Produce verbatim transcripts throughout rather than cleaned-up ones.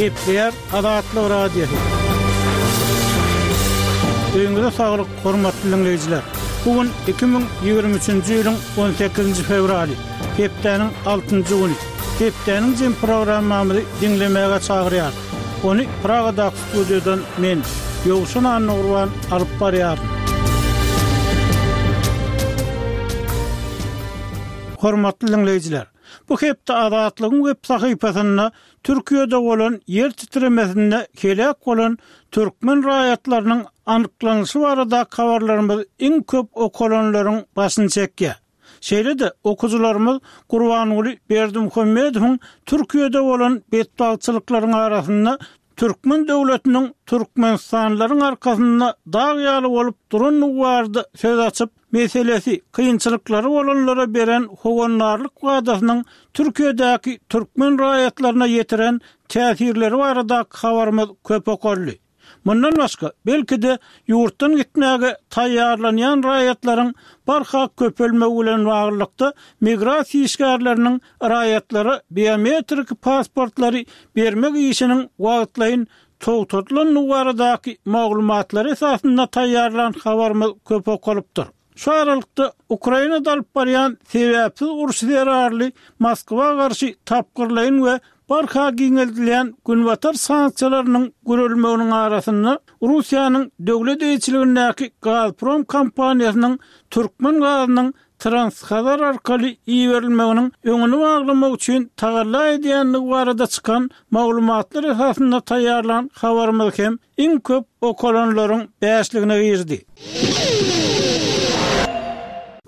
Gepleýär Azatlyk Radiosy. Öýüňize saglyk, hormatly diňleýjiler. Bu gün iki müň ýigrimi üçünji ýylyň on sekizinji fewraly, hepdäniň altynjy güni. Hepdäniň jem programmamyzy diňlemäge çagyrýarys. Ony Pragadaky studiýadan men, Ýowşan Annagurban alyp barýaryn. Hormatly diňleýjiler, bu hepde Azatlygyň web sahypasynda Türkiýede bolan ýer titremesinde heläk bolan türkmen raýatlarynyň anyklanyşy baradaky habarlarymyz iň köp okalanlaryň başyny çekýär. Şeýle-de okyjylarymyz Gurbanguly Berdimuhamedowyň Türkiýede bolan betbagtçylyklaryň arasynda türkmen döwletiniň türkmenistanlylaryň arkasynda dag ýaly bolup durandygy barada söz açyp, meselesi kynçylyklary bolanlara beren howandarlyk wadasynyň Türkiýedäki türkmen raýatlaryna ýetiren täsirleri baradaky habarymyz köp okaldy. Mundan başga, belki-de ýurtdan gitmäge taýýarlanýan raýatlaryň barha köpelmegi bilen baglylykda migrasiýa işgärleriniň raýatlara biometrik pasportlary bermek işiniň wagtlaýyn togtadylandygy baradaky maglumatlary esasynda taýýarlan habarymyz köp okalypdyr. Şu aralykda Ukrainada alyp barýan sebäpsiz urşy zerarly Moskwa garşy tapgyrlaýyn we barha giňeldilýän Günbatar sanksiýalarynyň gürelmeginiň arasynda Russiýanyň döwlet eýeçiligindäki Gazprom kompaniýasynyň türkmen gazynyň Transhazar arkaly iberilmeginiň öňüni baglamak üçin tagalla edýändigi barada çykan maglumatlar esasynda taýýarlan habarymyz hem iň köp okalanlaryň bäşligine girdi.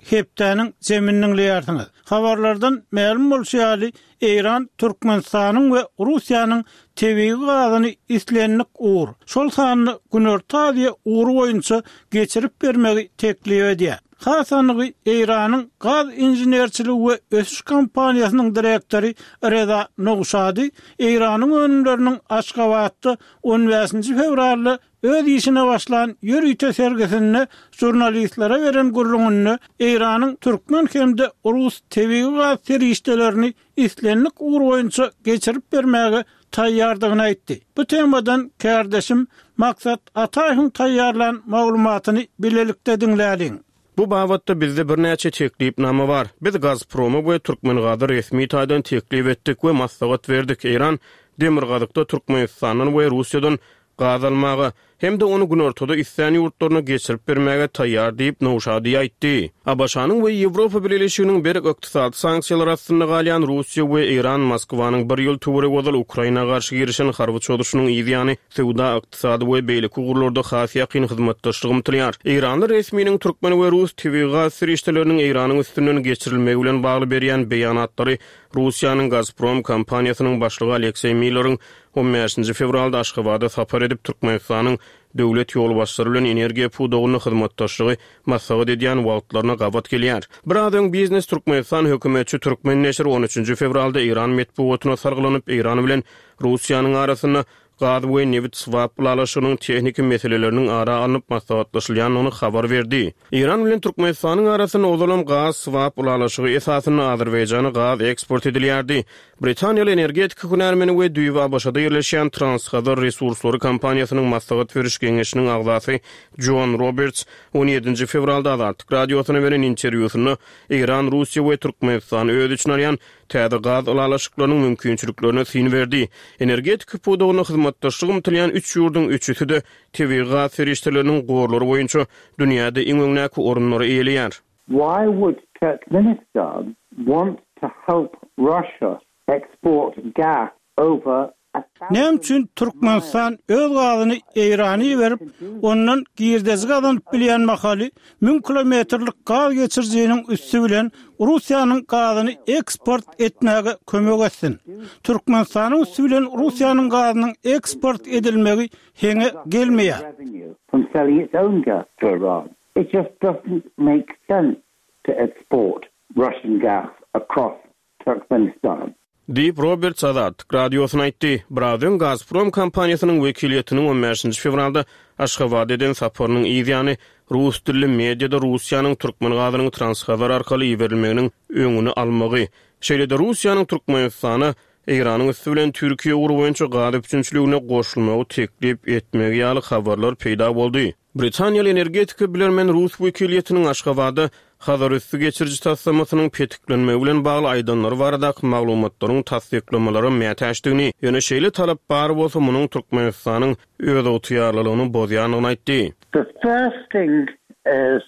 Hepdäniň jemini diňleýärsiňiz. Habarlardan mälim bolşy ýaly, Eýran Türkmenistanyň we Russiýanyň tebigy gazyny islendik ugur, şol sanda Günorta Aziýa ugry boýunça geçirip bermegi teklip edýär. Has anygy Eýranyň gaz inženerçiligi we ösüş kompaniýasynyň direktory Reza Nowşady Eýranyň önümleriniň Aşgabatda on bäşinji fewralda öz işine başlan ýörite sergisinde žurnalistlere beren gürrüňinde Eýranyň türkmen hem-de rus tebigy gaz serişdelerini islendik ugur boýunça geçirip bermäge taýýardygyny aýtdy. Bu temadan kärdeşim Maksat Ataýewiň taýýarlan maglumatyny bilelikde diňläliň. Bu babatda bizde birnäçe teklipnama bar. Biz Gazproma we Türkmengaza resmi taýdan teklip etdik we maslahat berdik. Eýran Demirgazykda Türkmenistandan we Russiýadan gaz almaga hem-de ony günortada islän ýurtlaryna geçirip bermäge taýýar diýip Nowşady aýtdy. ABŞ-nyň we Ýewropa Bileleşiginiň berk ykdysady sanksiýalar astynda galýan Russiýa we Eýran Moskwanyň bir ýyl töweregi ozal Ukraina garşy girişen harby çozuşynyň yz ýany söwda, ykdysady we beýleki ugurlarda has ýakyn hyzmatdaşlyk ymtylýar. Eýranly resminiň türkmen we rus tebigy gaz serişdeleriniň Eýranyň üstünden geçirilmegi bilen bagly berýän beýanatlary Russiýanyň Gazprom kompaniýasynyň başlygy Alekseý Milleriň on bäşinji fewralda Aşgabada sapar edip Türkmenistanyň döwlet ýolbaşçylary bilen energiýa pudagynda hyzmatdaşlygy maslahat edýän wagtlaryna gabat gelýär. Biraz öň Biznes Türkmenistan hökümetçi Türkmen neşiri on üçünji fewralda Eýran metbugatyna salgylanyp Eýran bilen Russiýanyň arasynda gaz we nebit swap ylalaşygynyň tehniki meseleleriniň ara alnyp maslahatlaşylýandygyny habar berdi. Eýran bilen Türkmenistanyň arasynda ozalam gaz swap ylalaşygy esasynda Azerbaýjana gaz eksport edilýärdi. Britaniýaly energetika hünärmeni we düýbi ABŞ-da ýerleşýän Transhazar resurslary kompaniýasynyň maslahat beriş geňeşiniň agzasy Jon Roberts on ýedinji fewralda Azatlyk Radiosyna beren interwýusynda Eýran, Russiýa we Türkmenistany öz içine alýan täze gaz ylalaşyklarynyň mümkinçiliklerine syn berdi. Energetika pudagynda hyzmatdaşlyk ymtylýan üç ýurduň üçüsi-de tebigy gaz serişdeleriniň gorlary boýunça dünýäde iň öňdäki orunlary eýeleýär. Why would Turkmenistan want to help Russia export gas over a thousand Näme üçin Türkmenistan öz gazyny Eýrana iberip, ondan girdeji gazanyp bilýän mahaly müň kilometrlik gaz geçirijiniň üsti bilen Russiýanyň gazyny eksport etmäge kömek etsin? Türkmenistanyň üsti bilen Russiýanyň gazynyň eksport edilmegi heňe gelmeýär. From selling its own gas to Iran. It just doesn't make sense to export Russian gas across Turkmenistan. Diýip, Roberts Azatlyk Radiosyna aýtdy. Biraz öň Gazprom kompaniýasynyň wekiliýetiniň on bäşinji fewralda Aşgabada eden saparynyň yz ýany rus dilli mediada Russiýanyň türkmen gazynyň Transhazar arkaly iberilmeginiň öňüni almagy, şeýle-de Russiýanyň Türkmenistana Eýranyň üsti bilen Türkiýe ugry boýunça gaz üpjünçiligine goşulmagy teklip etmegi ýaly habarlar peýda boldy. Britaniýaly energetika bilermen rus wekiliýetiniň Aşgabatda Hazarüsti geçiriji taslamasynyň petiklenmegi bilen bagly aýdanlary baradaky maglumatlaryň tassyklamalara mätäçdigini, ýöne şeýle talap bar bolsa, munuň Türkmenistanyň özygtyýarlylygyny bozýandygyny aýtdy. The first thing is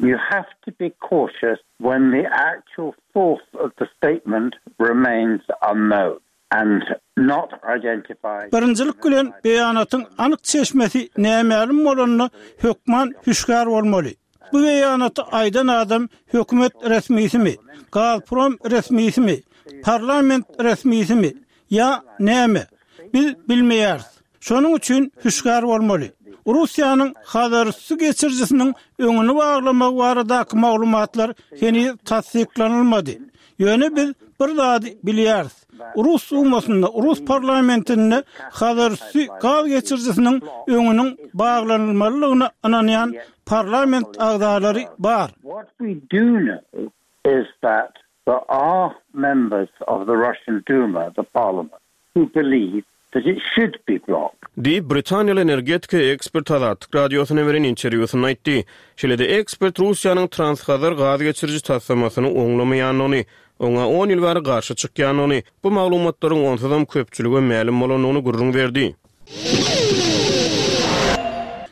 you have to be cautious when the actual source of the statement remains unknown and not identified. Birinjilik bilen beýanatyň anyk çeşmesi nämälim bolanda hökman hüşgär bolmaly. Bu beýanaty aýdan adam hökümet resmisimi, Gazprom resmisimi, parlament resmisimi ýa näme? Biz bilmeýäris. Şonuň üçin hüşgär bolmaly. Russiýanyň Hazarüsti geçirijisiniň öňüni baglamagy baradaky maglumatlar heniz tassyklanylmady. Ýöne biz bir zady bilýäris. Rus Dumasynda, rus parlamentinde Hazarüsti gaz geçirijisiniň öňüniň baglanylmalydygyna ynanýan parlament agzalary bar. What we do know is that there are members of the Russian Duma, the parliament, who believe that it should be blocked. Diýip, britaniýaly energetika ekspert Azatlyk Radiosyna beren interwýusynda aýtdy. Şeýle-de ekspert Russiýanyň Transhazar gaz geçiriji taslamasyny oňlamaýandygyny, oňa on ýyl bäri garşy çykýandygyny, bu maglumatlaryň onsuzam köpçülige mälim bolandygyny gürrüň berdi.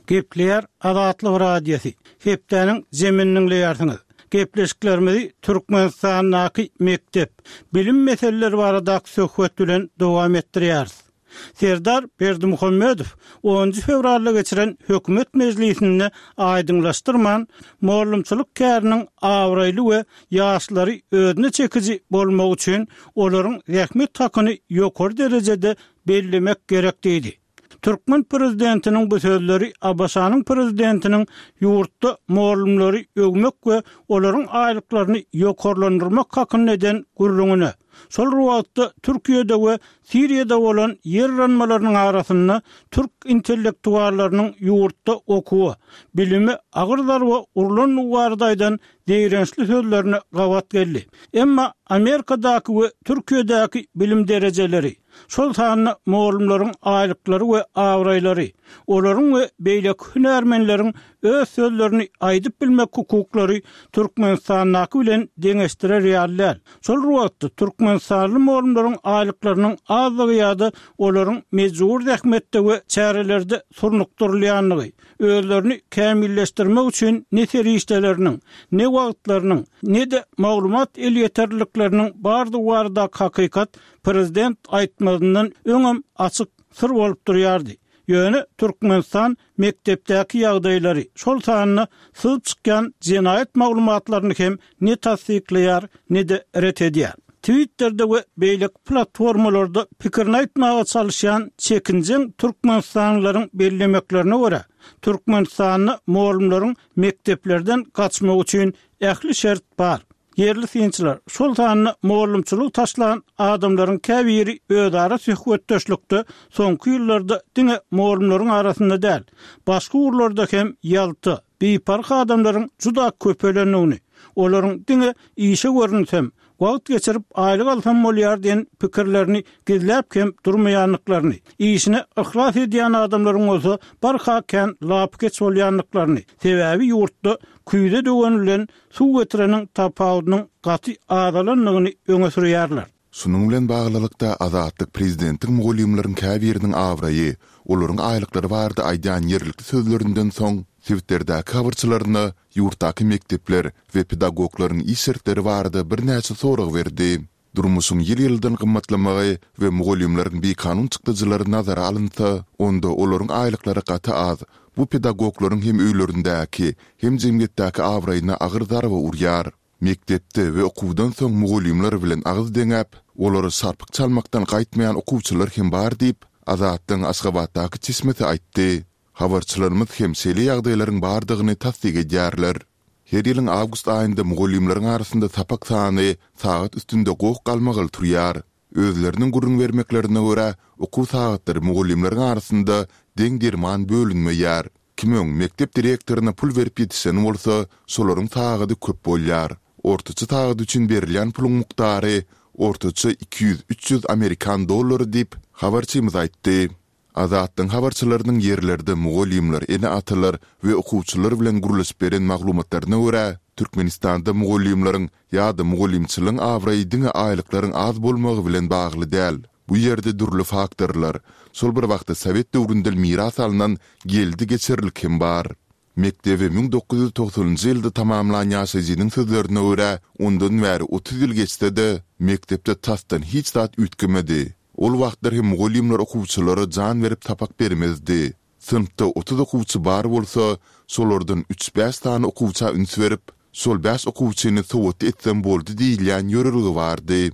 Gepleýär Azatlyk Radiosy. Hepdäniň jemini diňleýärsiňiz. Gepleşiklerimizi Türkmenistandaky mekdep, bilim meseleleri baradaky söhbet bilen dowam etdirýäris. Serdar Berdimuhamedow onunjy fewralda geçiren hökümet mejlisinde aýdyňlaşdyrman, mugallymçylyk käriniň abraýly we ýaşlary özüne çekiji bolmagy üçin olaryň zähmet hakyny ýokary derejede bellemek gerek diýdi. Türkmen prezidentiniň bu sözleri ABŞ-nyň prezidentiniň ýurtda mugallymlary öwmek we olaryň aýlyklaryny ýokarlandyrmak hakynda eden gürrüňine, şol bir wagtda Türkiýede we Siriýada bolan ýer yranmalarynyň arasynda türk intellektuallarynyň ýurtda okuwa, bilime agyr zarba urlandygy barada aýdan zeýrençli sözlerine gabat geldi. Emma Amerikadaky we Türkiýedäki bilim derejeleri, şol sanda mugallymlaryň aýlyklary we abraýlary, olaryň we beýleki hünärmenleriň öz sözlerini aýdyp bilmek hukuklary Türkmenistandaky bilen deňeşdirer ýaly däl. Şol bir wagtda türkmenistanly mugallymlaryň aýlyklarynyň azlygy ýa-da olaryň mejbur zähmetde we çärelerde surnukdyrylýandygy, özlerini kämilleşdirmek üçin ne serişdeleriniň, ne wagtlarynyň, ne-de maglumat elýeterlilikleriniň bardygy baradaky hakykat prezident aýtmazyndan öňem açyk syr bolup durýardy. Ýöne Türkmenistan mekdepdäki ýagdaýlary, şol sanda syzyp çykýan jenaýat maglumatlaryny hem ne tassyklaýar, ne-de ret edýär. Twitterde we beýleki platformalarda pikirini aýtmaga çalyşýan çekinjeň türkmenistanlylaryň bellemeklerine görä, Türkmenistanda mugallymlaryň mekdeplerden gaçmagy üçin ähli şert bar. Ýerli synçylar, şol sanda mugallymçylygy taşlan adamlaryň käbiri özara söhbetdeşlikde soňky ýyllarda diňe mugallymlaryň arasynda däl, başga ugurlarda hem ýalta, biparh adamlaryň juda köpelendigini, olaryň diňe işe görünsem, wagt geçirip aýlyk alsam bolýar diýen pikirlerini gizläp hem durmaýandyklaryny, işine yhlas edýän adamlaryň bolsa barha kän lapykeç bolýandyklaryny, sebäbi ýurtda küýze döwen bilen suw getireniň tapawudynyň gaty azalandygyny öňe sürýärler. Şunuň bilen baglylykda, Azatlyk prezidentiň mugallymlaryň käbiriniň abraýy, olaryň aýlyklary barada aýdýan ýerlikli sözlerinden soň, sebitlerdäki habarçylaryna ýurtdaky mekdepler we pedagoglaryň iş şertleri barada birnäçe sorag berdi. Durmuşyň ýyl-ýyldan gymmatlamagy we mugallymlaryň bikanun çykdajylary nazara alynsa, onda olaryň aýlyklary gaty az. Bu pedagoglaryň hem öýlerindäki, hem jemgyýetdäki abraýyna agyr zarba urýar. Mekdepde we okuwdan soň mugallymlar bilen agyz deňäp, olara şarpyk çalmakdan gaýtmaýan okuwçylar hem bar diýip, Azatlygyň Aşgabatdaky çeşmesi aýtdy. Habarçylarymyz hem şeýle ýagdaýlaryň bardygyny tassyk edýärler. Her ýylyň awgust aýynda mugallymlaryň arasynda sapak sany sagat üstünde goh-galmagal turýar. Özleriniň gürrüň bermeklerine görä, okuw sagatlary mugallymlaryň arasynda deň-derman bölünmeýär. Kim öň mekdep direktoryna pul berip ýetişen bolsa, şolaryň sagady köp bolýar. Ortaça sagat üçin berilýän puluň mukdary ortaça iki ýüz-üç ýüz amerikan dollary diýip, habarçymyz aýtdy. Azatlygyň habarçylarynyň ýerlerde mugallymlar, ene-atalar we okuwçylar bilen gürleşip beren maglumatlaryna görä, Türkmenistanda mugallymlaryň ýa-da mugallymçylygyň abraýy diňe aýlyklaryň az bolmagy bilen bagly däl. Bu ýerde dürli faktorlar, şol bir wagtda sowet döwründen miras alnan geldi-geçerlik hem bar. Mekdebi müň dokuz ýüz togsanynjy ýylda tamamlan ýaşaýjynyň sözlerine görä, ondan bäri otuz ýyl geçse-de, mekdepde tasdan hiç zat üýtgemedi. Ol wagtlar hem mugallymlar okuwçylara jan berip sapak bermezdi. Synpda otuz okuwçy bar bolsa, şolardan üç-bäş sany okuwça üns berip, şol bäş okuwçyny sowatly etsem boldy diýilýän ýörelge bardy.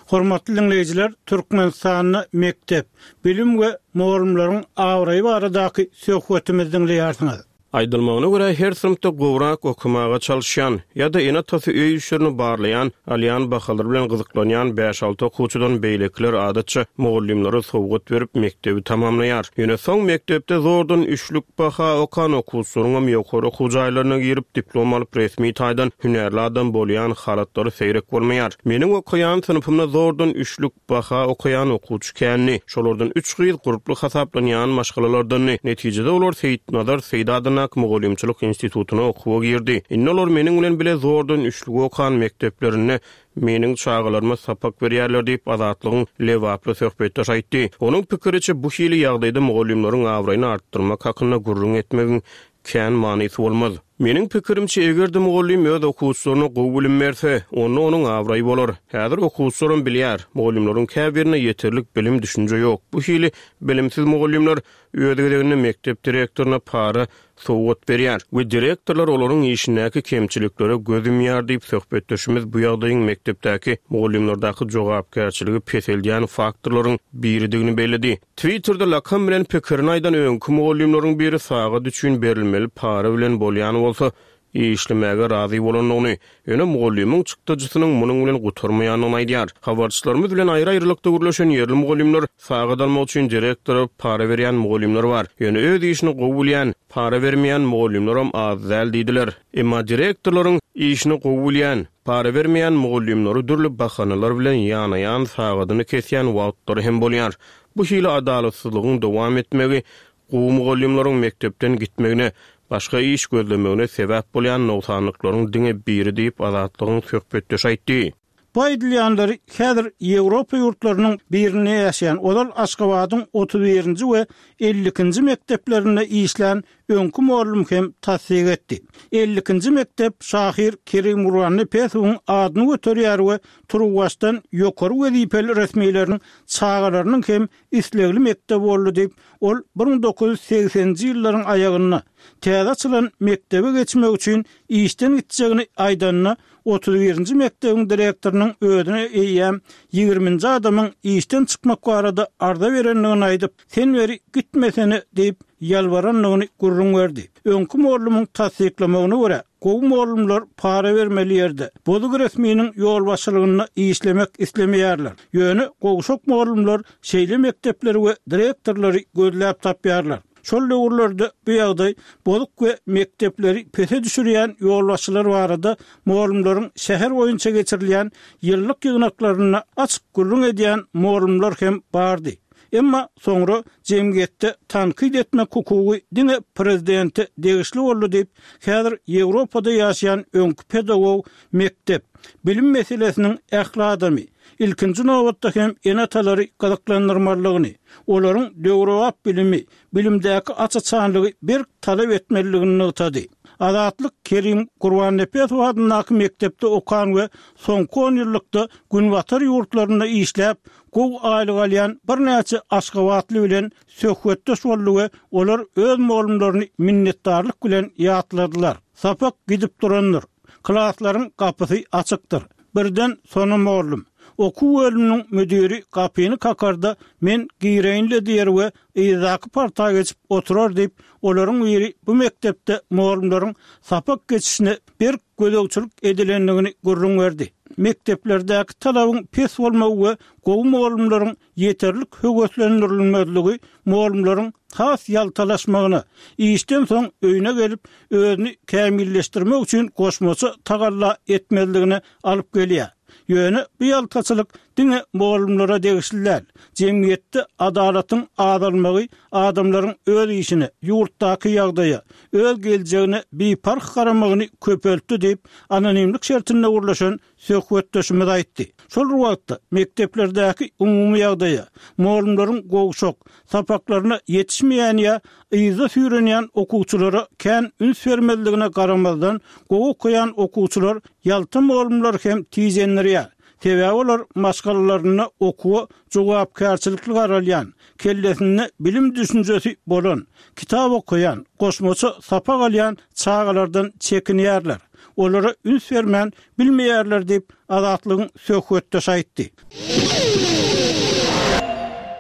Hormatly diňleýjiler, Türkmenistanda mekdep, bilim we mugallymlaryň abraýy baradaky söhbetimizi diňleýärsiňiz. Aýdylmagyna görä, her synpda gowrak okamaga çalyşýan ýa-da ene-atasy öý işlerini barlaýan, alýan bahalar bilen gyzyklanýan bäş-alty okuwçydan beýlekiler adatça mugallymlara sowgat berip mekdebi tamamlaýar. Ýöne soň mekdepde zordan üçlük baha okan okuwçylaryň hem ýokary okuw jaýlaryna girip diplom alyp resmi taýdan hünärli adam bolýan halatlary seýrek bolmaýar. Meniň okaýan synpymda zordan üçlük baha okaýan okuwçy kändi. Şolardan üç gyz gurply hasaplanýan maşgalalardandy. Netijede olar Seýitnazar Seýit adyndaky Mugallymçylyk institutyna okuwa girdi. Indi olar meniň bilen bile zordan üçlük okan mekdeplerinde meniň çagalaryma sapak berýärler diýip Azatlygyň Lebaply söhbetdeş aýtdy. Onuň pikiriçe bu hili ýagdaýda mugallymlaryň abraýyny artdyrmak hakynda gürrüň etmegiň kän manysy bolmaz. Meniň pikirimçe, eger-de mugallym öz okuwçylaryna gowy bilim berse, onda onuň abraýy bolar. Häzir okuwçylarym bilýär, mugallymlaryň käbirine ýeterlik bilim düşünje ýok. Bu hili bilimsiz mugallymlar öz gezeginde mekdep direktoryna para sowgat berýär we direktorlar olaryň işindäki kemçiliklere göz ýumýar diýip söhbetdeşimiz bu ýagdaýyň mekdepdäki mugallymlardaky jogapkärçiligi peseldýän faktorlaryň biridigini belledi. Twitterde lakam bilen pikirini aýdan öňki mugallymlaryň biri sagat üçin berilmeli para bilen bolýan bolsa işlemäge razy bolandygyny, ýöne mugallymyň çykdajysynyň munuň bilen gutarmaýandygyny aýdýar. Habarçylarymyz bilen aýry-aýrylykda gürleşen ýerli mugallymlar sagat almak üçin direktora para berýän mugallymlar bar. Ýöne öz işini gowy bilýän, para bermeýän mugallymlaram az däl diýdiler. Emma direktorlaryň işini gowy bilýän, para bermeýän mugallymlary dürli bahanalar bilen ýanaýan sagadyny kesýän wagtlary hem bolýar. Bu hili adalatsyzlygyň dowam etmegi gowy mugallymlaryň mekdepden gitmegine, başga iş gözlemegine sebäp bolýan nogsanlyklaryň diňe biri diýip Azatlygyň söhbetdeşi aýtdy. Bu aýdylýanlary häzir Ýewropa ýurtlarynyň birinde ýaşaýan ozal Aşgabadyň otuz birinji we elli ikinji mekdeplerinde işlän öňki mugallym hem tassyk etdi. Elli ikinji mekdep şahyr Kerim Gurbannepesowyň adyny göterýär we Turuwbaşdan ýokary wezipeli resmileriniň çagalarynyň hem islegli mekdep boldy diýip, ol bir müň dokuz ýüz segseninji ýyllaryň aýagynda täze açylan mekdebe geçmek üçin işden gitjegini aýdanda otuz birinji mekdebiň direktorynyň özüne eýýäm ýigriminji adamyň işden çykmak barada arza berendigini aýdyp, sen beri gitmesene diýip ýalbarandygyny gürrüň berdi. Öňki mugallymyň tassyklamagyna görä, gowy mugallymlar para bermeli ýerde, bozuk resminiň ýolbaşçylygynda işlemek islemeýärler. Ýöne gowşak mugallymlar şeýle mekdepleri we direktorlary gözläp tapýarlar. Şol döwürlerde bu ýagdaý bozuk we mekdepleri pese düşürýän ýolbaşçylar barada mugallymlaryň şäher boýunça geçirilýän ýyllyk ýygnaklarynda açyk gürrüň edýän mugallymlar hem bardy. Emma soňra jemgyýetde tankyt etmek hukugy diňe prezidente degişli boldy diýip, häzir Ýewropada ýaşaýan öňki pedagog mekdep bilim meselesiniň ähli adamy, ilkinji nobatda hem ene-atalary gyzyklandyrmalydygyny, olaryň döwrebap bilimi, bilimdäki aç-açanlygy berk talap etmelidigini nygtady. Azatlyk Kerim Gurbannepesow adyndaky mekdepde okan we soňky on ýyllykda Günbatar ýurtlarynda işläp, gowy aýlyk alýan birnäçe Aşgabatly bilen söhbetdeş boldy we olar öz mugallymlaryny minnetdarlyk bilen ýatladylar. Sapak gidip durandyr. Klaslaryň gapysy açykdyr. Birden sona mugallym. Okuw bölüminiň müdiri gapyny kakarda men gireýinle diýer we yzdaky parta geçip oturar diýip, olaryň biri bu mekdepde mugallymlaryň sapak geçişine berk gözegçilik edilendigini gürrüň berdi. Mekdeplerdäki talabyň pes bolmagy we gowy mugallymlaryň ýeterlik höweslendirilmezligi mugallymlaryň has ýaltalaşmagyna, işden soň öýüne gelip özüni kämilleşdirmek üçin goşmaça tagalla etmezligine alyp gelýär. Ýöne bu ýaltaçylyk diňe mugallymlara degişli däl. Jemgyýetde adalatyň azalmagy adamlaryň öz işine, ýurtdaky ýagdaýa, öz geljegine biparh garamagyny köpeltdi diýip, anonimlik şertinde gürleşen söhbetdeşimiz aýtdy. Şol bir wagtda mekdeplerdäki umumy ýagdaýa, mugallymlaryň gowşak, sapaklaryna ýetişmeýän ýa yzda süýrenýän okuwçylara kän üns bermezligine garamazdan, gowy okaýan okuwçylar ýalta mugallymlary hem tijendirýär. Sebäbi olar maşgalalarynda okuwa jogapkärçilikli garalýan, kellesinde bilim düşünjesi bolan, kitap okaýan, goşmaça sapak alýan çagalardan çekinýärler. Olara üns bermän bilmeýärler diýip, Azatlygyň söhbetdeşi aýtdy.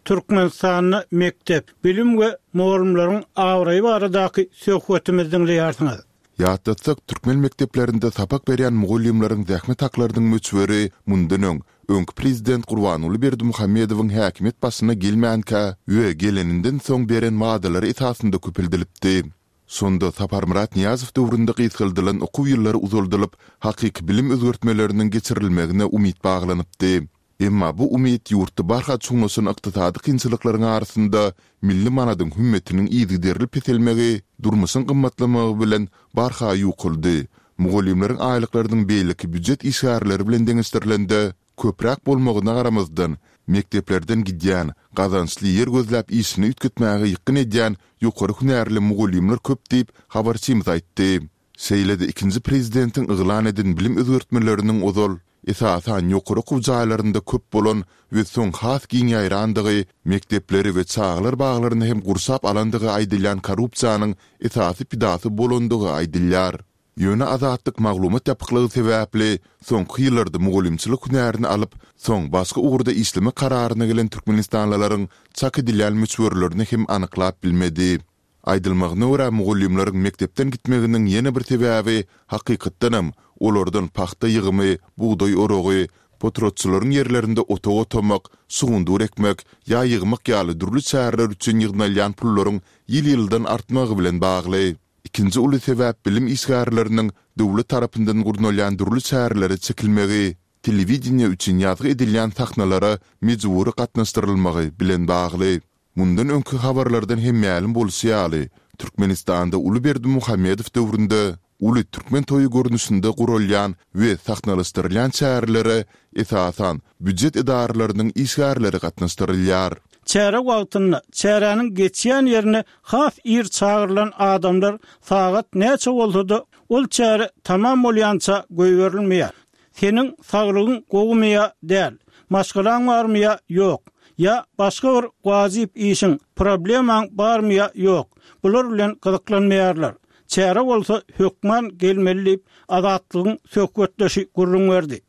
Türkmenistanda mekdep, bilim we mugallymlaryň abraýy baradaky söhbetimizi diňleýärsiňiz. Ýatlatsak, türkmen mekdeplerinde sapak berýän mugallymlaryň zähmet haklarynyň möçberi mundan öň, öňki prezident Gurbanguly Berdimuhamedowyň häkimiýet başyna gelmänkä we geleninden soň beren wadalary esasynda köpeldilipdi. Şonda Saparmyrat Nyýazow döwründe gysgaldylan okuw ýyllary uzaldylyp, hakyky bilim özgertmeleriniň geçirilmegine umyt baglanypdy. Emma bu umyt ýurtda barha çuňlaşan ykdysady kynçylyklaryň arasynda milli manadyň hümmetiniň yzygiderli peselmegi, durmuşyň gymmatlamagy bilen barha ýukaldy. Mugallymlaryň aýlyklarynyň beýleki býujet işgärleri bilen deňeşdirilende köpräk bolmagyna garamazdan, mekdeplerden gidýän, gazançly ýer gözläp işini üýtgetmäge ýykgyn edýän ýokary hünärli mugallymlar köp diýip, habarçymyz aýtdy. Şeýle-de ikinji prezidentiň yglan eden bilim özgertmeleriniň ozal, esasan, ýokary okuw jaýlarynda köp bolan we soň has giň ýaýrandygy, mekdepleri we çagalar baglaryny hem gurşap alandygy aýdylýan korrupsiýanyň esasy pidasy bolandygy aýdylýar. Ýöne Azatlyk maglumat ýapyklygy sebäpli, soňky ýyllarda mugallymçylyk hünärini alyp, soň başga ugurda işlemek kararyna gelen türkmenistanlylaryň çak edilýän möçberlerini hem anyklap bilmedi. Aýdylmagyna görä, mugallymlaryň mekdepden gitmeginiň ýene bir sebäbi, hakykatdanam, olardan pagta ýygymy, bugdaý oragy, potratçylaryň ýerlerinde otag otamak, şugundyr ekmek ýa ýygmak ýaly dürli çäreler üçin ýygnalýan pullaryň ýyl-ýyldan artmagy bilen bagly. Ikinji uly sebäp bilim işgärleriniň döwlet tarapyndan gurnalýan dürli çärelere çekilmegi, telewideniýe üçin ýazgy edilýän sahnalara mejbury gatnaşdyrylmagy bilen bagly. Mundan öňki habarlardan hem mälim bolşy ýaly, Türkmenistanda uly Berdimuhamedow döwründe uly türkmen toýy görnüşinde guralýan we sahnalaşdyrylýan çärelere, esasan, býujet edaralarynyň işgärleri gatnaşdyrylýar. Çäre wagtynda, çäräniň geçýän ýerine has ir çagyrylan adamlar sagat näçe bolsa-da, ol çäre tamam bolýança goýberilmeýär. Seniň saglygyň gowumy ýa däl, maşgalaň barmy ýa ýok, ýa başga bir wajyp işiň, problemaň barmy ýa ýok, bular bilen gyzyklanmaýarlar. Çäre bolsa hökman gelmeli diýip, Azatlygyň söhbetdeşi gürrüň berdi.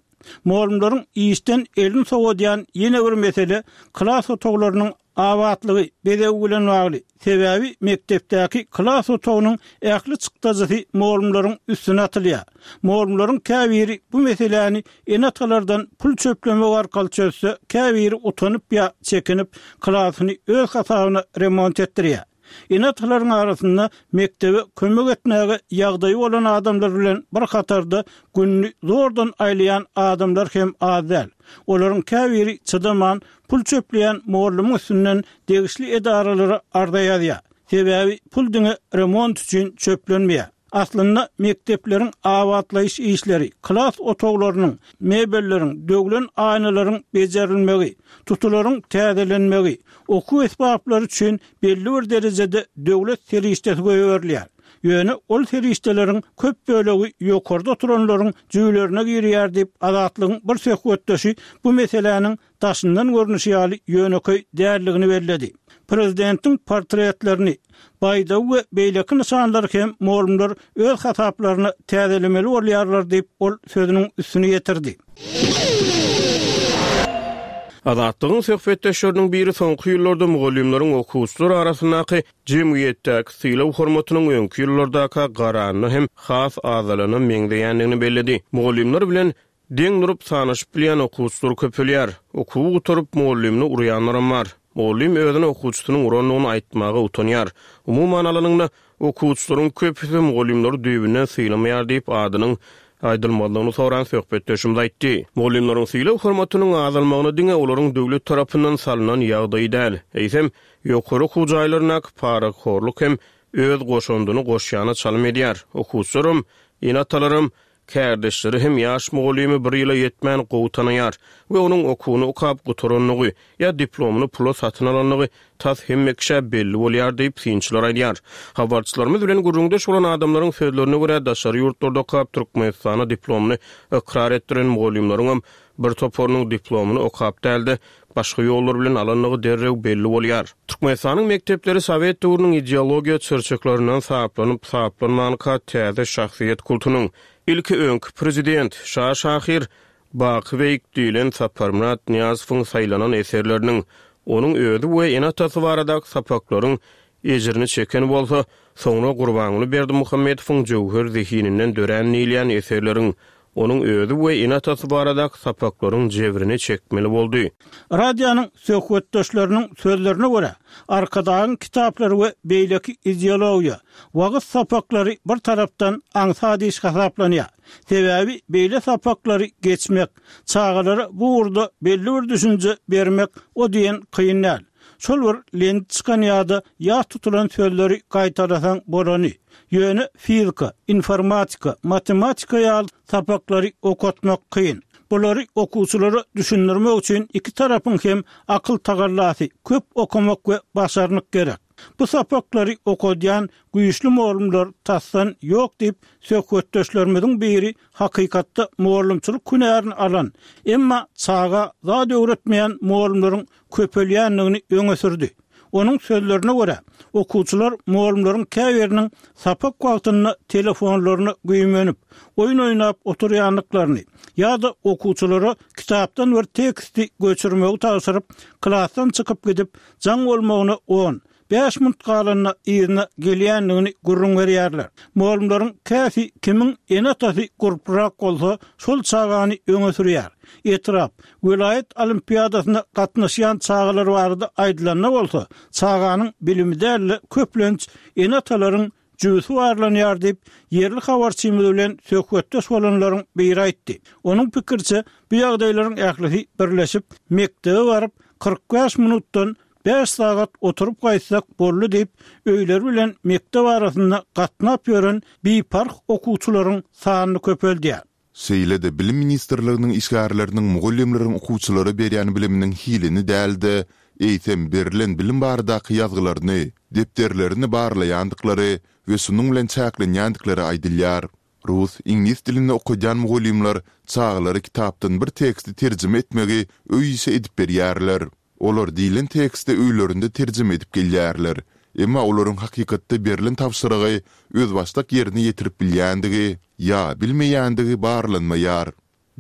Mugallymlaryň işden elini sowadýan ýene bir mesele klas otaglarynyň abatlygy, bezegi bilen bagly. Sebäbi mekdepdäki klas otagynyň ähli çykdajysy mugallymlaryň üstüne atylýar. Mugallymlaryň käbiri bu meseläni ene-atalardan pul çöplemek arkaly çözse, käbiri utanyp ýa çekinip, klasyny öz hasabyna remont etdirýär. Ene-atalaryň arasynda mekdebe kömek etmäge ýagdaýy bolan adamlar bilen bir hatarda gününi zordan aýlaýan adamlar hem az däl. Olaryň käbiri çydaman, pul çöpleýän mugallymyň üstünden degişli edaralara arza ýazýar. Sebäbi pul diňe remont üçin çöplenmeýär. Aslynda mekdepleriň abatlaýyş işleri, klas otaglarynyň, mebelleriň, döwlen aýnalaryň bejerilmegi, tutularyň täzelenmegi, okuw esbaplary üçin belli bir derejede döwlet serişdesi goýberilýär. Ýöne ol serişdeleriň köp bölegi ýokarda oturanlaryň jübülerine girýär diýip, Azatlygyň bir söhbetdeşi bu meseläniň daşyndan görnüşi ýaly ýönekeý däldigini belledi. Prezidentiň portretlerini, baýdagy we beýleki nyşanlary hem mugallymlar öz hasaplaryna täzelemeli bolýarlar diýip, ol sözüniň üstüni ýetirdi. Azatlygyň söhbetdeşleriniň biri soňky ýyllarda mugallymlaryň okuwçylar arasyndaky jemgyýetdäki sylag-hormatynyň öňki ýyllardaka garanda hem has azalana meňzeýändigini belledi. Mugallymlar bilen Deň durup sanaşyp bilýän okuwçylar köpelýär. Okuwy gutaryp mugallymyny urýanlaram bar. Mugallym özüne okuwçysynyň urandygyny aýtmaga utanýar. Umuman alanyňda, okuwçylaryň köpüsi mugallymlary düýbünden sylamaýar diýip, adynyň aýdylmazlygyny soran söhbetdeşimiz aýtdy. Mugallymlaryň sylag-hormatynyň azalmagyna diňe olaryň döwlet tarapyndan salnan ýagdaýy däl, eýsem, ýokary okuw jaýlaryndaky parahorluk hem öz goşandyny goşýana çalym edýär. Okuwçylaram, ene-atalaram, kärdeşleri hem ýaş mugallymy bir ýyla ýetmän gowy tanaýar we onuň okuwyny okap gutarandygy ýa diplomyny pula satyn alandygy tas hemme kişä belli bolýar diýip, synçylar aýdýar. Habarçylarymyz bilen gürrüňdeş bolan adamlaryň sözlerine görä, daşary ýurtlarda okap Türkmenistana diplomyny ykrar etdiren mugallymlaryňam bir toparynyň diplomyny okap däl-de, başga ýollar bilen alandygy derrew belli bolýar. Türkmenistanyň mekdepleri sowet döwrüniň ideologiýa çyrçyklaryndan saplanyp, saplanmanka täze şahsyýet kultunyň ilki öňki prezident, şa şahyr Baky beýik diýlen Saparmyrat Nyýazowyň saýlanan eserleriniň, onuň özi we ene-atasy baradaky sapaklaryň ejirini çeken bolsa, soňra Gurbanguly Berdimuhamedowyň jöwher zehininden dörän diýilýän eserleriň, onuň özi we ene-atasy baradaky sapaklaryň jebrini çekmeli boldy. Radionyň söhbetdeşleriniň sözlerine görä, Arkadagyň kitaplary we beýleki ideologiýa, wagyz sapaklary bir tarapdan aňsat iş hasaplanýar. Sebäbi beýle sapaklary geçmek, çagalara bu ugurda belli bir düşünje bermek o diýen kyn däl. Şol bir lent çykan ýa-da ýat tutulan sözleri gaýtalasaň bolany. Ýöne fizika, informatika, matematika ýaly sapaklary okatmak kyn. Bulary okuwçylara düşündirmek üçin iki tarapyň hem akyl tagallasy, köp okamak we başarnyk gerek. Bu sapaklary okadýan güýçli mugallymlar tasdan ýok diýip, söhbetdeşlerimiziň biri hakykatda mugallymçylyk hünärini alan, emma çaga zat öwretmeýän mugallymlaryň köpelýändigini öňe sürdi. Onuň sözlerine görä, okuwçylar mugallymlaryň käbiriniň sapak wagtynda telefonlaryna güýmenip, oýun oýnap oturýandyklaryny ýa-da okuwçylara kitapdan bir teksti göçürmegi tabşyryp, klasdan çykyp gidip, jaň bolmagyna on, bäş minut galanda yzyna gelýändigini gürrüň berýärler. Mugallymlaryň käsi kimiň ene-atasy gurprak bolsa, şol çagany öňe sürýär. Etrap, welaýat olimpiadasyna gatnaşýan çagalar barada aýdylanda bolsa, çaganyň bilimi däl-de, köplenç ene-atalaryň jübüsi barlanýar diýip, ýerli habarçymyz bilen söhbetdeş bolanlaryň biri aýtdy. Onuň pikiriçe, bu ýagdaýlaryň ählisi birleşip, mekdebe baryp, kyrk bäş minutdan bäş sagat oturyp gaýtsak boldy diýip, öýleri bilen mekdep arasynda gatnap ýören biparh okuwçylaryň sanyny köpeldýär. Şeýle-de Bilim ministrliginiň işgärleriniň mugallymlaryň okuwçylara berýän biliminiň hilini däl-de, eýsem berlen bilim baradaky ýazgylaryny, depderlerini barlaýandyklary we şunuň bilen çäklenýändikleri aýdylýar. Rus, iňlis dilinde okadýan mugallymlar çagalara kitapdan bir teksti terjime etmegi öý işi edip berýärler. Olar diýlen teksti öýlerinde terjime edip gelýärler. Emma olaryň hakykatda berlen tabşyrygy özbaşdak ýerine ýetirip bilýändigi ýa bilmeýändigi barlanmaýar.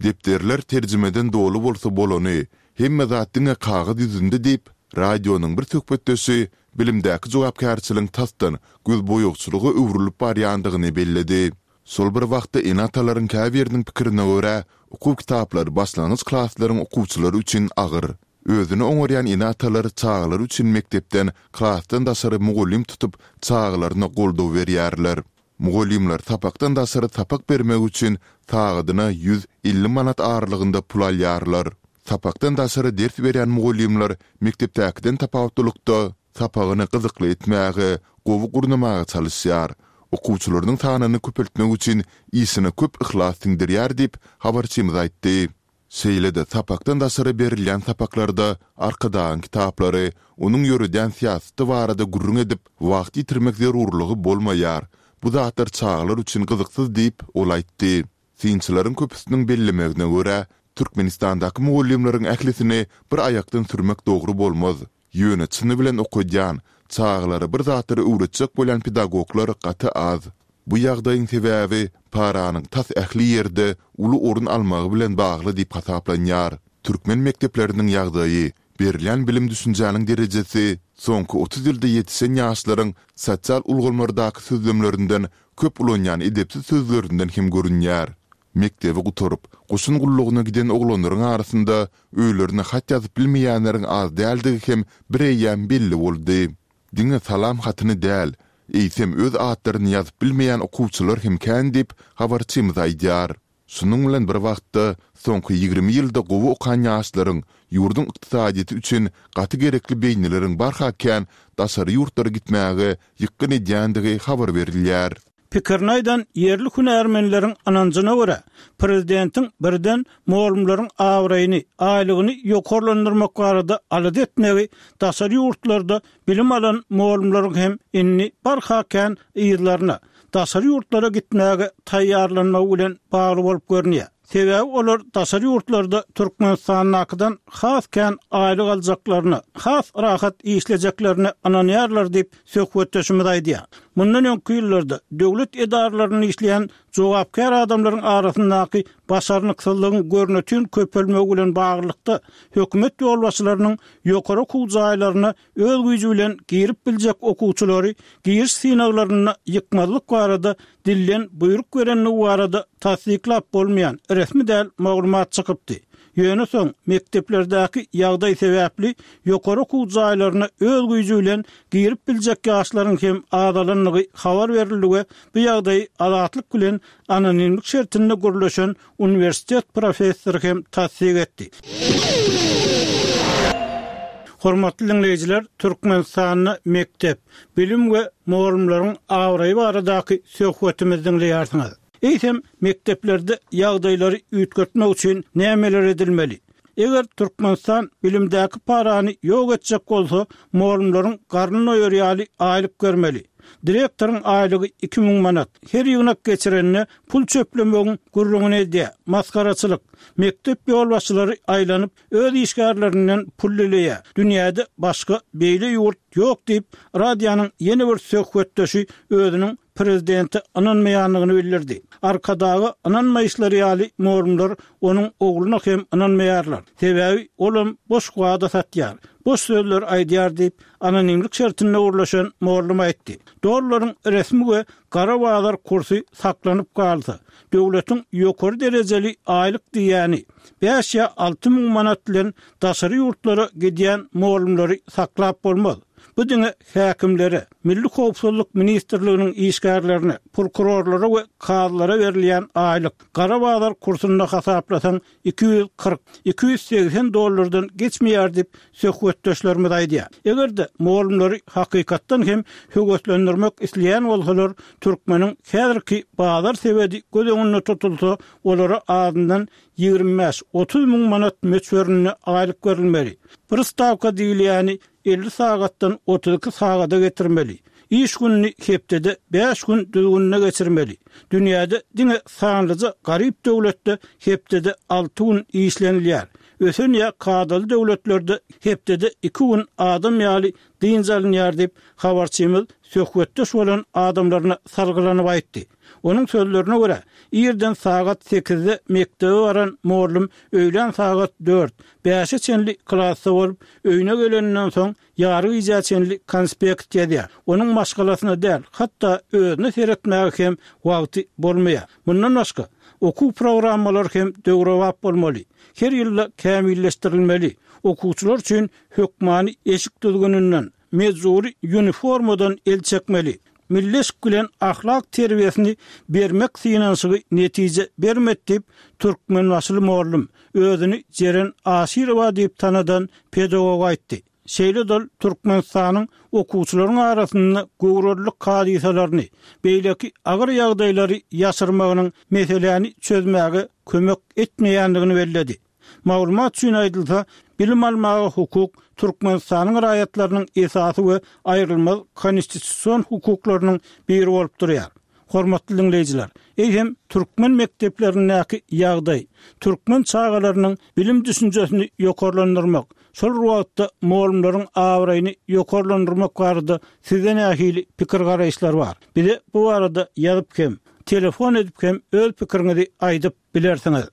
Depderler terjimeden doly bolsa bolany, hemme zat diňe kagyz ýüzünde diýip, radionyň bir söhbetdeşi bilimdäki jogapkärçiligiň tasdan gözboýagçylyga öwrülip barýandygyny belledi. Şol bir wagtda ene-atalaryň käbiriniň pikirine görä, okuw kitaplary başlangyç klaslaryň okuwçylary üçin agyr. Özüni oňarýan ene-atalar çagalary üçin mekdepden, klasdan daşary mugallym tutup, çagalaryna goldaw berýärler. Mugallymlar sapakdan daşary sapak bermek üçin sagadyna ýüz elli manat aralygynda pul alýarlar. Sapakdan daşary ders berýän mugallymlar mekdepdäkiden tapawutlylykda sapagyny gyzykly etmäge, gowy gurnamaga çalyşýar. Okuwçylarynyň sanyny köpeltmek üçin işine köp yhlas siňdirýär diýip, habarçymyz aýtdy. Şeýle-de sapakdan daşary berilýän sapaklarda Arkadagyň kitaplary, onuň ýöredýän syýasaty barada gürrüň edip, wagt ýitirmek zerurlygy bolmaýar. Bu zatlar çagalar üçin gyzyksyz diýip, ol aýtdy. Synçylaryň köpüsiniň bellemegine görä, Türkmenistandaky mugallymlaryň ählisini bir aýakdan sürmek dogry bolmaz. Ýöne çyny bilen okadýan, çagalara bir zatlary öwretjek bolýan pedagoglar gaty az. Bu ýagdaýyň sebäbi paranyň tas ähli ýerde uly orun almagy bilen bagly diýip hasaplanýar. Türkmen mekdepleriniň ýagdaýy, berilýän bilim-düşünjäniň derejesi soňky otuz ýylda ýetişen ýaşlaryň sosial ulgamlardaky sözlemlerinden köp ulanýan edepsiz sözlerinden hem görünýär. Mekdebi gutaryp, goşun gullugyna giden oglanlaryň arasynda öýlerine hat ýazyp bilmeýänleriň az däldigi hem bireýýäm belli boldy. Diňe salam hatyny däl, eýsem öz atlaryny ýazyp bilmeýän okuwçylar hem kän diýip, habarçymyz aýdýar. Şunuň bilen bir wagtda, soňky ýigrimi ýylda gowy okan ýaşlaryň, ýurduň ykdysadyýeti üçin gaty gerekli beýnileriň barha kän daşary ýurtlara gitmäge ýykgyn edýändigi habar berilýär. Pikirini aýdan ýerli hünärmenleriň ynanjyna görä, prezidentiň birden mugallymlaryň abraýyny, aýlygyny ýokarlandyrmak barada alada etmegi daşary ýurtlarda bilim alan mugallymlaryň hem indi barha kän yzlaryna, daşary ýurtlara gitmäge taýýarlanmagy bilen bagly bolup görünýär. Sebäbi olar daşary ýurtlarda Türkmenistandakydan has kän aýlyk aljaklaryna, has rahat işlejeklerine ynanýarlar diýip, söhbetdeşimiz aýdýar. Mundan öňki ýyllarda döwlet edaralarynda işleýän jogapkär adamlaryň arasyndaky başarnyksyzlygyň görnetin köpelmegi bilen baglylykda, hökümet ýolbaşçylarynyň ýokary okuw jaýlaryna öz güýji bilen girip biljek okuwçylary giriş synaglarynda ýykmazlyk barada dilden buýruk berendigi barada tassyklap bolmaýan resmi däl maglumat çykypdy. Ýöne soň mekdeplerdäki ýagdaý sebäpli ýokary okuw jaýlaryna öz güýji bilen girip biljek ýaşlaryň hem azalandygy habar berildi we bu ýagdaýy Azatlyk bilen anonimlik şertinde gürleşen uniwersitet professory hem tassyk etdi. Hormatly diňleýjiler, Türkmenistanda mekdep, bilim we mugallymlaryň abraýy baradaky söhbetimizi diňleýärsiňiz. Eýsem, mekdeplerde ýagdaýlary üýtgetmek üçin nämeler edilmeli? Eger Türkmenistan bilimdäki parany ýok etjek bolsa, mugallymlaryň garnyny doýar ýaly aýlyk bermeli. Direktoryň aýlygy iki müň manat. Her ýygnak geçirende pul çöplemegiň gürrüňini edýär. Masgaraçylyk. Mekdep ýolbaşçylary aýlanyp, öz işgärlerinden pul dileýär. Dünýäde başga beýle ýurt ýok diýip, radionyň ýene bir söhbetdeşi özüniň prezidente ynanmaýandygyny bildirdi. Arkadaga ynanmaýyşlary ýaly mugallymlar onuň ogluna hem ynanmaýarlar. Sebäbi olam boş wada satýar, boş sözler aýdýar diýip, anonimlik şertinde gürleşen mugallym aýtdy. Dollaryň resmi we gara bazar kursy saklanyp galsa, döwletiň ýokary derejeli aýlyk diýýäni, bäş ýa alty müň manat bilen daşary ýurtlara gidýän mugallymlary saklap bolmaz. Bu diňe häkimlere, Milli howpsuzlyk ministrliginiň işgärlerine, prokurorlara we kazylara berilýän aýlyk, gara bazar kursunda hasaplasaň iki ýüz kyrk, iki ýüz segsen dollardan geçmeýär diýip, söhbetdeşlerimiz aýdýar. Eger-de mugallymlary hakykatdan hem höweslendirmek isleýän bolsalar, türkmeniň häzirki bazar sebedi göz öňünde tutulsa, olara azyndan ýigrimi bäş, otuz müň manat möçberinde aýlyk berilmeli. Bir stawka diýilýäni elli sagatdan otuz iki sagada getirmeli. Iş gününi hepdede bäş gün düzgünine geçirmeli. Dünýäde diňe sanlyja garyp döwletde hepdede alty gün işlenilýär. Ösen ýa kadaly döwletlerde hepdede iki gün adam ýaly dynç alynýar diýip, habarçymyz söhbetdeş bolan adamlaryna salgylanyp aýtdy. Onuň sözlerine görä, irden sagat sekizde mekdebe baran mugallym öýlän sagat dört, bäşe çenli klasda bolup, öýüne geleninden soň ýary gijä çenli konspekt ýazýar. Onuň maşgalasyna däl, hatda özüne seretmäge hem wagty bolmaýar. Mundan başga, okuw programmalary hem döwrebap bolmaly. Her ýylda kämilleşdirilmeli. Okuwçylar üçin hökmany eşik düzgüninden, mejbury uniformadan el çekmeli. Milli eşik bilen ahlak terbiýesini bermek synanyşygy netije bermedi diýip, türkmenbaşyly mugallym, özüni Jeren Aşyrowa diýip tanadan pedagog aýtdy. Şeýle-de ol Türkmenistanyň okuwçylaryň arasynda göwrelilik hadysalaryny, beýleki agyr ýagdaýlary ýaşyrmagynyň meseläni çözmäge kömek etmeýändigini belledi. Maglumat üçin aýdylsa, bilim almaga hukuk Türkmenistanyň raýatlarynyň esasy we aýrylmaz konstitusion hukuklarynyň biri bolup durýar. Hormatly diňleýjiler, eýsem türkmen mekdeplerindäki ýagdaý, türkmen çagalarynyň bilim düşünjesini ýokarlandyrmak, şol bir wagtda mugallymlaryň abraýyny ýokarlandyrmak barada sizde nähili pikir-garaýyşlar bar? Bize bu barada ýazyp hem, telefon edip hem öz pikiriňizi aýdyp bilersiňiz.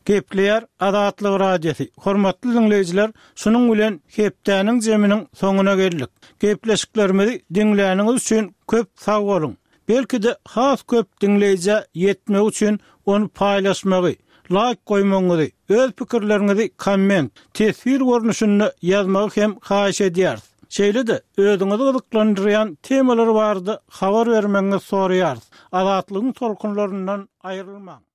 Gepleýär Azatlyk Radiosy. Hormatly diňleýjiler, şunuň bilen hepdäniň jeminiň soňuna geldik. Gepleşiklerimizi diňläniňiz üçin köp sag boluň. Belki-de has köp diňleýjä ýetmegi üçin ony paýlaşmagy, laýk goýmagyňyzy, öz pikirleriňizi komment, teswir görnüşinde ýazmagy hem haýyş edýäris. Şeýle-de özüňizi gyzyklandyrýan temalar barada habar bermegiňizi soraýarys. Azatlygyň tolkunlaryndan aýrylmaň.